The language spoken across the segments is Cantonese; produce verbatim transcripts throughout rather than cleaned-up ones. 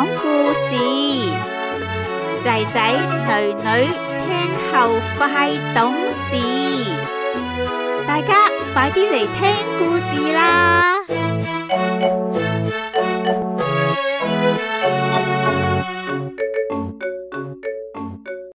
講故事，仔仔女女聽後快懂事，大家快啲嚟聽故事啦！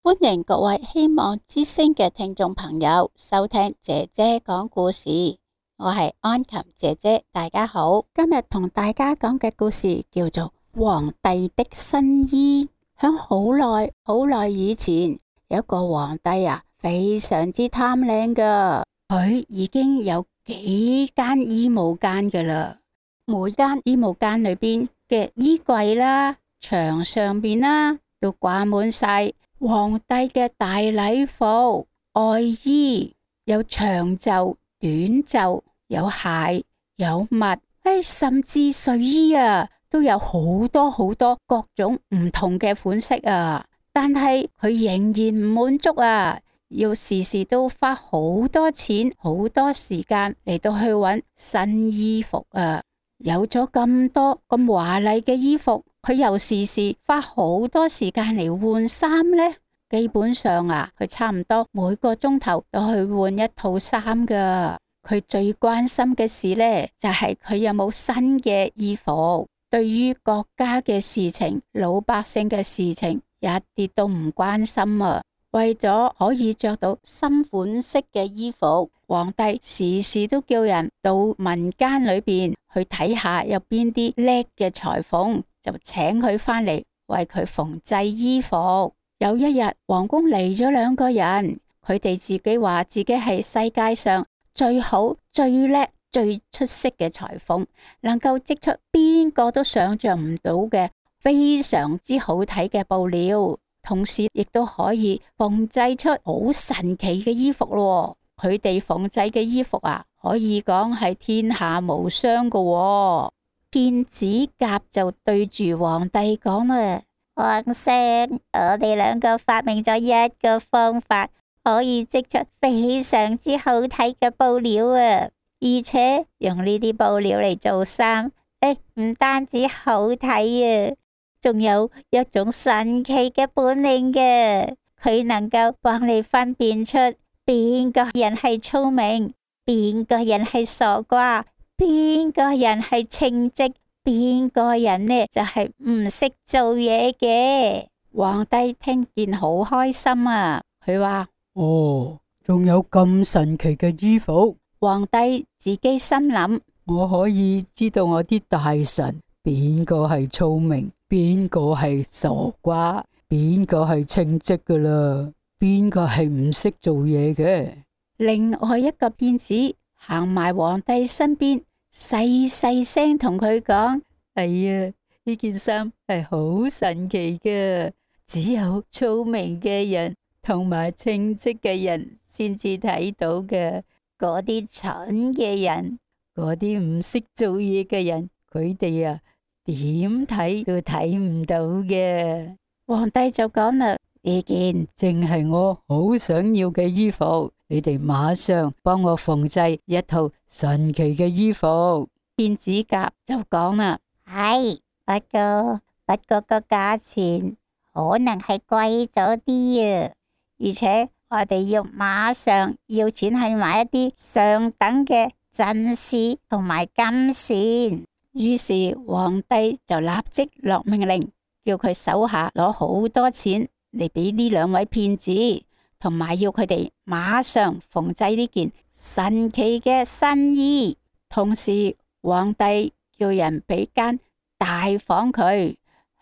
歡迎各位希望之聲嘅聽眾朋友收聽姐姐講故事，我係安琴姐姐，大家好。今日同大家講嘅故事叫做皇帝的新衣。響好耐好耐以前，有一個皇帝啊，非常之貪靚噶，佢已經有幾間衣帽間噶啦，每間衣帽間裏邊嘅衣櫃啦、牆上邊啦，都掛滿晒皇帝嘅大禮服、外衣，有長袖、短袖，有鞋、有襪，誒，甚至睡衣啊，都有好多好多各種唔同嘅款式啊。但係佢仍然唔滿足啊，要時時都花好多錢、好多時間嚟到去揾新衣服啊。有咗咁多咁華麗嘅衣服，佢又時時花好多時間嚟換衫呢。基本上啊，佢差唔多每個鐘頭都去換一套衫噶。佢最關心嘅事呢，就係佢有冇新嘅衣服。對於國家嘅事情、老百姓嘅事情，一啲都唔關心啊。為咗可以着到新款式嘅衣服，皇帝時時都叫人到民間裏邊去睇下有邊啲叻嘅裁縫，就請佢返嚟為佢縫製衣服。有一日，皇宮嚟咗兩個人，佢哋自己話自己係世界上最好、最叻、最出色嘅裁縫，能夠織出邊個都想象唔到嘅非常之好睇嘅布料，同時亦都可以縫製出好神奇嘅衣服咯。佢哋縫製嘅衣服啊，可以講係天下無雙噶喎。騙子甲就對住皇帝講啦：皇上，我哋兩個發明咗一個方法，可以織出非常之好睇嘅布料啊！而且用呢啲布料嚟做衫，誒，唔單止好睇啊，仲有一種神奇嘅本領嘅，佢能夠幫你分辨出邊個人係聰明，邊個人係傻瓜，邊個人係稱職，邊個人呢就係唔識做嘢嘅。皇帝聽見好開心啊，佢話：哦，仲有咁神奇嘅衣服。皇帝自己心諗：我可以知道我啲大臣邊個係聰明，邊個係傻瓜，邊個係稱職噶啦，邊個係唔識做嘢嘅。另外一個騙子行埋皇帝身邊，細細聲同佢講：哎呀，呢件衫係好神奇嘅，只有聰明嘅人同埋稱職嘅人先至睇到嘅。嗰啲蠢嘅人，嗰啲唔識做嘢嘅人，佢哋啊點睇都睇唔到嘅。皇帝就講啦：呢件正係我好想要嘅衣服，你哋馬上幫我縫製一套神奇嘅衣服。騙子甲就講啦：係，不過不過個價錢可能係貴咗啲啊，而且我哋要馬上要錢去買一啲上等嘅珍絲同埋金線。於是皇帝就立即落命令，叫佢手下攞好多錢嚟俾呢兩位騙子，同埋要佢哋馬上縫製呢件神奇嘅新衣。同時，皇帝叫人俾間大房佢，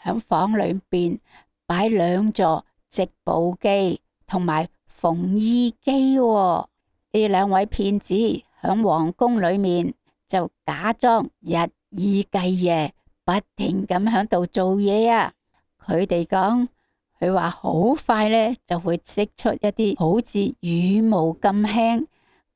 響房裏邊擺兩座織布機同埋縫衣機喎。呢兩位騙子響皇宮裏面就假裝日以繼夜，不停咁響度做嘢啊。佢哋講，佢話好快呢就會織出一啲好似羽毛咁輕、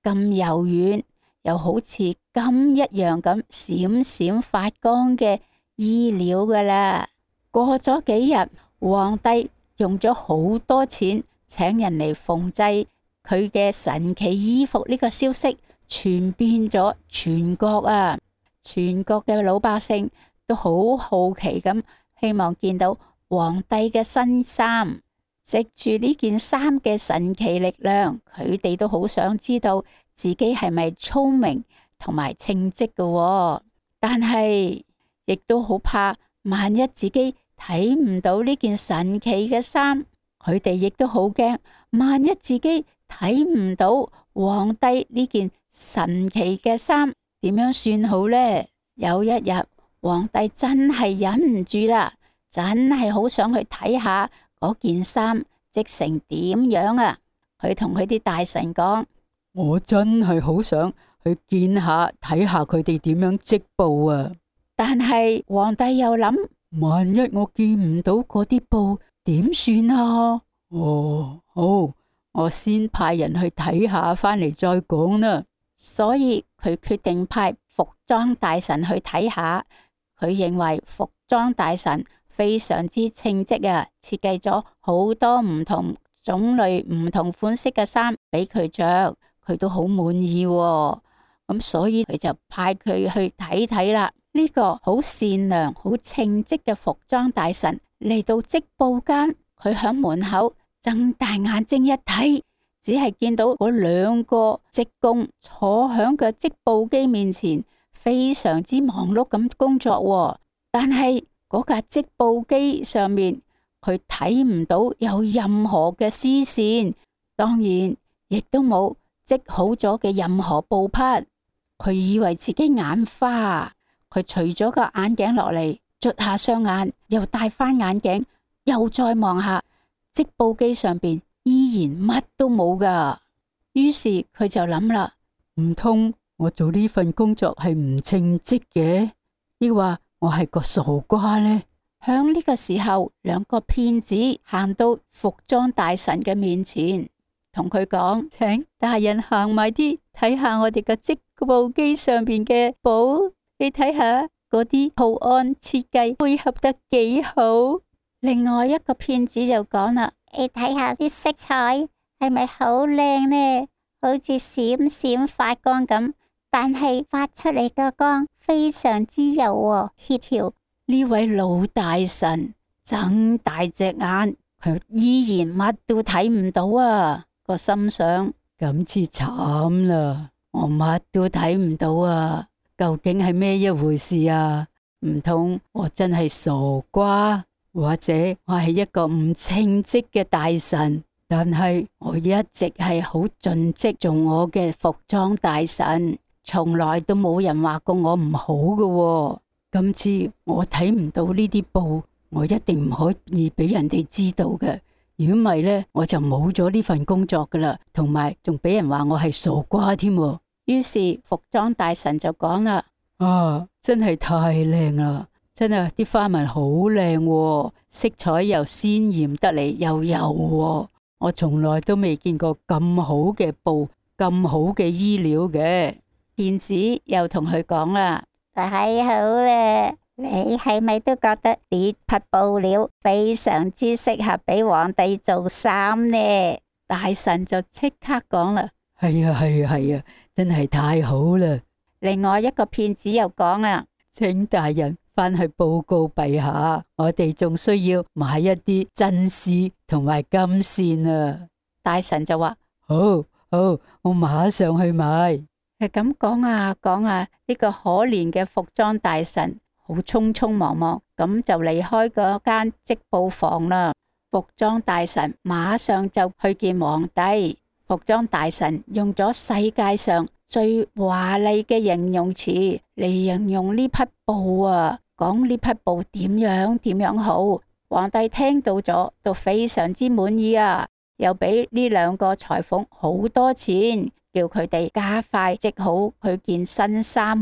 咁柔軟，又好似金一樣咁閃閃發光嘅衣料噶啦。過咗幾日，皇帝用咗好多錢請人嚟縫製佢嘅神奇衣服，呢個消息傳遍咗全國啊！全國嘅老百姓都好好奇咁希望見到皇帝嘅新衫。藉住呢件衫嘅神奇力量，佢哋都好想知道自己係咪聰明同埋稱職嘅，但係亦都好怕萬一自己睇唔到呢件神奇嘅衫，佢哋亦都好驚萬一自己睇唔到皇帝呢件神奇嘅衫，點樣算好呢？有一日，皇帝真係忍唔住啦，真係好想去睇下嗰件衫織成點樣啊！佢同佢啲大臣講：我真係好想去見下睇下佢哋點樣織布啊！但係皇帝又諗，萬一我見唔到嗰啲布點算啊？哦，好，我先派人去睇下，翻嚟再講啦。所以佢決定派服裝大臣去睇下。佢認為服裝大臣非常之稱職啊，設計咗好多唔同種類、唔同款式嘅衫俾佢着，佢都好滿意喎。咁所以佢就派佢去睇睇啦。呢個好善良、好稱職嘅服裝大臣嚟到織布間，佢響門口睜大眼睛一睇，只係見到嗰兩個織工坐響個織布機面前，非常之忙碌咁工作喎。但係嗰架織布機上面，佢睇唔到有任何嘅絲線，當然亦都冇織好咗嘅任何布匹。佢以為自己眼花，佢除咗個眼鏡落嚟，捽下雙眼，又戴翻眼鏡，又再望下織布機上邊，依然乜都冇噶。於是佢就諗啦，唔通我做呢份工作係唔稱職嘅？抑或我係個傻瓜呢？響呢個時候，兩個騙子行到服裝大臣嘅面前，同佢講：請大人行埋啲睇下我哋嘅織布機上邊嘅布，你睇下嗰啲圖案設計配合得幾好。另外一個騙子就講啦：你睇下啲色彩係咪好靚呢？好似閃閃發光咁，但係發出嚟嘅光非常之柔和協調。呢位老大臣睜大隻眼，佢依然乜都睇唔到啊！個心想：咁至慘啦，我乜都睇唔到啊！究竟係咩一回事啊？唔通我真係傻瓜，或者我係一個唔稱職嘅大臣？但係我一直係好盡職做我嘅服裝大臣，從來都冇人話過我唔好嘅。今次我睇唔到呢啲布，我一定唔可以俾人哋知道嘅。如果唔係呢，我就冇咗呢份工作噶啦，同埋仲俾人話我係傻瓜添。於是服裝大臣就講啦：啊，真係太靚啦！真係啲花紋好靚，色彩又鮮艷得嚟，又柔。我從來都未見過咁好嘅布，咁好嘅衣料嘅。騙子又同佢講啦：太好啦！你係咪都覺得呢匹布料非常之適合俾皇帝做衫呢？大臣就即刻講啦：係啊係啊係啊，真係太好啦！另外一個騙子又講啦：請大人翻去報告陛下，我哋仲需要買一啲真絲同埋金線啊！大臣就話：好好，我馬上去買。係咁講啊講啊，呢個可憐嘅服裝大臣好匆匆忙忙咁就離開嗰間織布房啦。服裝大臣馬上就去見皇帝。服裝大臣用咗世界上最華麗嘅形容詞嚟形容呢匹布啊，講呢匹布點樣點樣好。皇帝聽到咗都非常之滿意啊，又俾呢兩個裁縫好多錢，叫佢哋加快織好佢件新衫。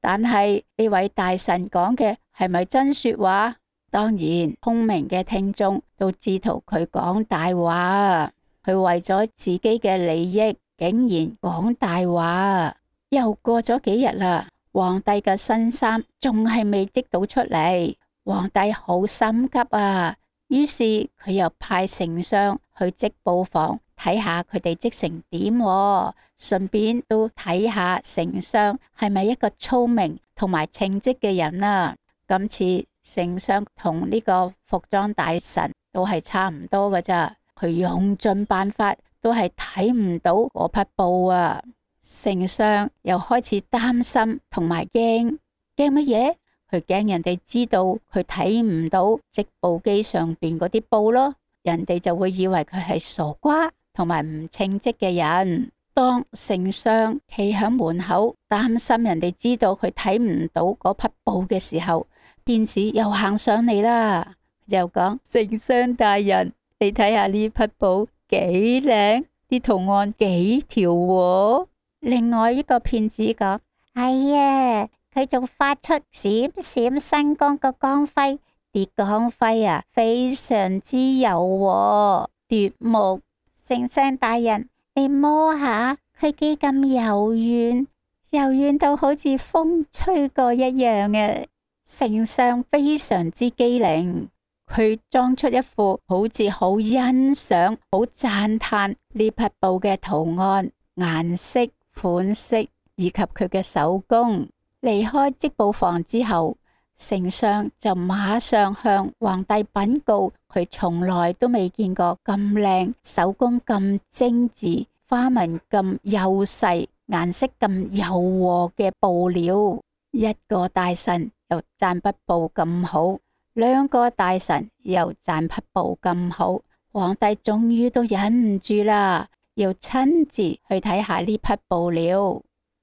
但係呢位大臣講嘅係咪真說話？當然，聰明嘅聽眾都知道佢講大話。佢為咗自己嘅利益，竟然講大話。又過咗幾日啦，皇帝嘅新衫仲係未織到出嚟，皇帝好心急啊。於是佢又派丞相去織布房睇下佢哋織成點，順便都睇下丞相係咪一個聰明同埋稱職嘅人啊。今次丞相同呢個服裝大臣都係差唔多㗎咋，佢用盡辦法都係睇唔到嗰匹布啊！丞相又開始擔心同埋驚，驚乜嘢？佢驚人哋知道佢睇唔到織布機上邊嗰啲布咯，人哋就會以為佢係傻瓜同埋唔稱職嘅人。當丞相企喺門口擔心人哋知道佢睇唔到嗰匹布嘅時候，騙子又行上嚟啦，就講：丞相大人，你睇下呢匹布幾靚，啲圖案幾條喎。另外一個騙子講：哎呀，佢仲發出閃閃生光嘅光輝，啲光輝啊非常之柔和奪目。丞相大人，你摸下佢幾咁柔軟，柔軟到好似風吹過一樣啊！丞相非常之機靈，佢裝出一副好似好欣賞、好讚嘆呢匹布嘅圖案、顏色、款式以及佢嘅手工。離開織布房之後，丞相就馬上向皇帝稟告，佢從來都未見過咁靚、手工咁精緻、花紋咁幼細、顏色咁柔和嘅布料。一個大臣又讚匹布咁好，兩個大臣又讚匹布咁好，皇帝終於都忍唔住啦，要親自去睇下呢匹布料。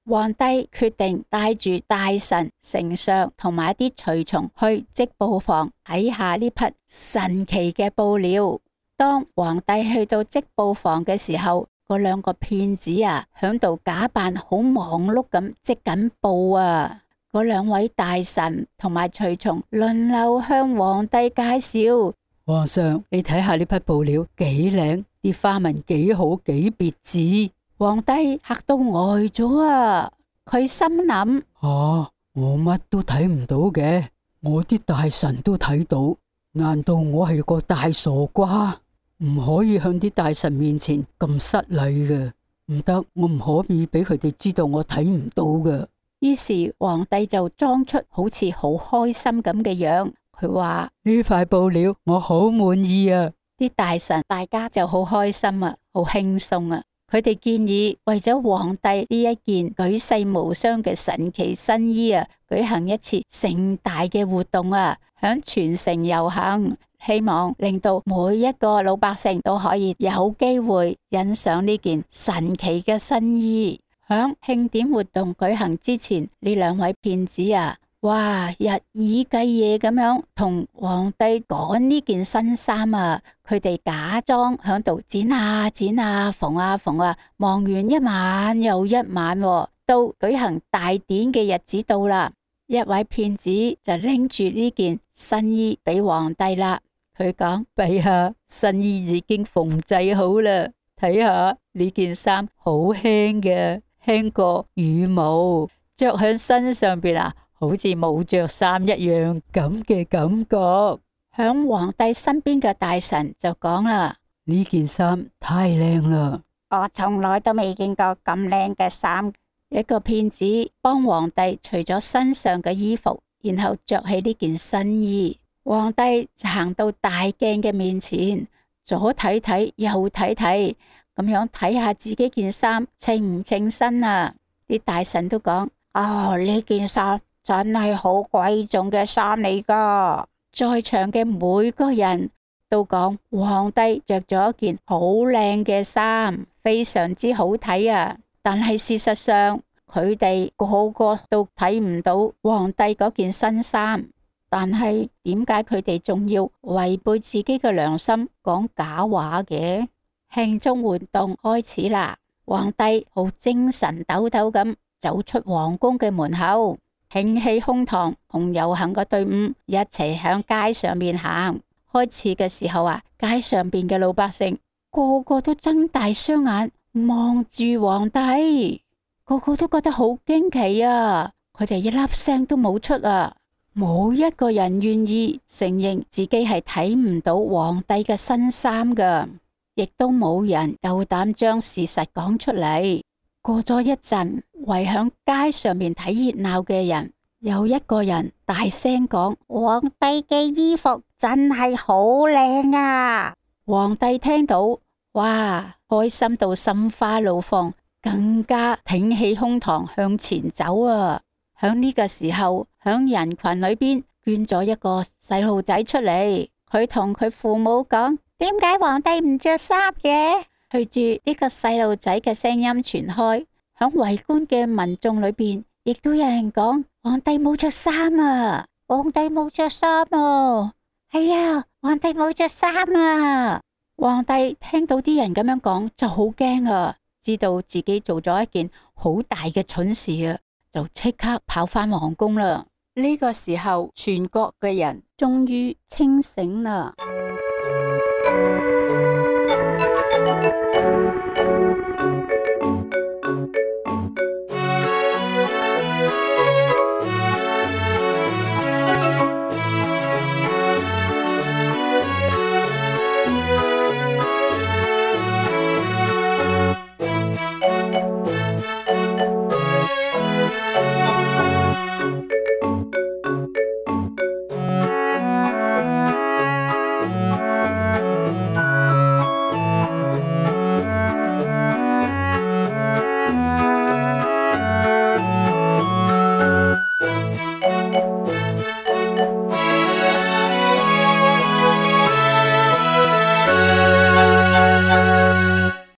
皇帝決定帶住大臣、丞相同埋一啲隨從去織布房睇下呢匹神奇嘅布料。當皇帝去到織布房嘅時候，嗰兩個騙子啊，響度假扮好忙碌咁織緊布啊。嗰兩位大臣同埋隨從輪流向皇帝介紹：皇上，你睇下呢匹布料幾靚，啲花紋幾好，幾別致。皇帝嚇到呆咗啊！佢心諗：啊，我乜都睇唔到嘅，我啲大臣都睇到，難道我係個大傻瓜？唔可以向啲大臣面前咁失禮嘅，唔得，我唔可以俾佢哋知道我睇唔到嘅。於是皇帝就裝出好似好開心咁嘅樣，佢話：呢塊布料我好滿意啊！啲大臣大家就好開心啊，好輕鬆啊！佢哋建議為咗皇帝呢一件舉世無雙嘅神奇新衣啊，舉行一次盛大嘅活動啊，響全城遊行，希望令到每一個老百姓都可以有機會欣賞呢件神奇嘅新衣。響慶典活動舉行之前，呢兩位騙子啊，哇，日以繼夜咁樣同皇帝趕呢件新衫啊！佢哋假裝響度剪啊剪啊縫啊縫啊，忙完一晚又一晚，啊，到舉行大典嘅日子到啦，一位騙子就拎住呢件新衣俾皇帝啦。佢講：陛下，新衣已經縫製好啦，睇下呢件衫好輕嘅，輕過羽毛，着喺身上邊啊，好似冇着衫一樣咁嘅感覺。響皇帝身邊嘅大臣就講啦：呢件衫太靚啦，我從來都未見過咁靚嘅衫。一個騙子幫皇帝除咗身上嘅衣服，然後着起呢件新衣。皇帝就行到大鏡嘅面前，左睇睇右睇睇，咁樣睇下自己件衫稱唔稱身啊！啲大臣都講：哦，呢件衫真係好貴重嘅衫嚟噶。在場嘅每個人都講皇帝着咗一件好靚嘅衫，非常之好睇啊！但係事實上，佢哋個個都睇唔到皇帝嗰件新衫。但係點解佢哋仲要違背自己嘅良心講假話嘅？慶祝活動開始啦！皇帝好精神抖抖咁走出皇宮嘅門口，挺起胸膛同遊行嘅隊伍一齊向街上面行。開始嘅時候啊，街上邊嘅老百姓個個都睜大雙眼望住皇帝，個個都覺得好驚奇啊！佢哋一粒聲都冇出啊！冇一個人願意承認自己係睇唔到皇帝嘅新衫噶，亦都冇人夠膽將事實講出嚟。過咗一陣，圍響街上面睇熱鬧嘅人，有一個人大聲講：皇帝嘅衣服真係好靚啊！皇帝聽到，哇，開心到心花怒放，更加挺起胸膛向前走啊！響呢個時候，響人群裏邊捐咗一個細路仔出嚟，佢同佢父母講：點解皇帝唔着衫嘅？隨住呢個細路仔嘅聲音傳開，響圍觀嘅民眾裏邊，亦都有人講：皇帝冇着衫啊！皇帝冇着衫啊！係呀，皇帝冇着衫啊！皇帝聽到啲人咁樣講，就好驚啊，知道自己做咗一件好大嘅蠢事啊，就即刻跑返皇宮啦。呢個時候，全國嘅人終於清醒啦。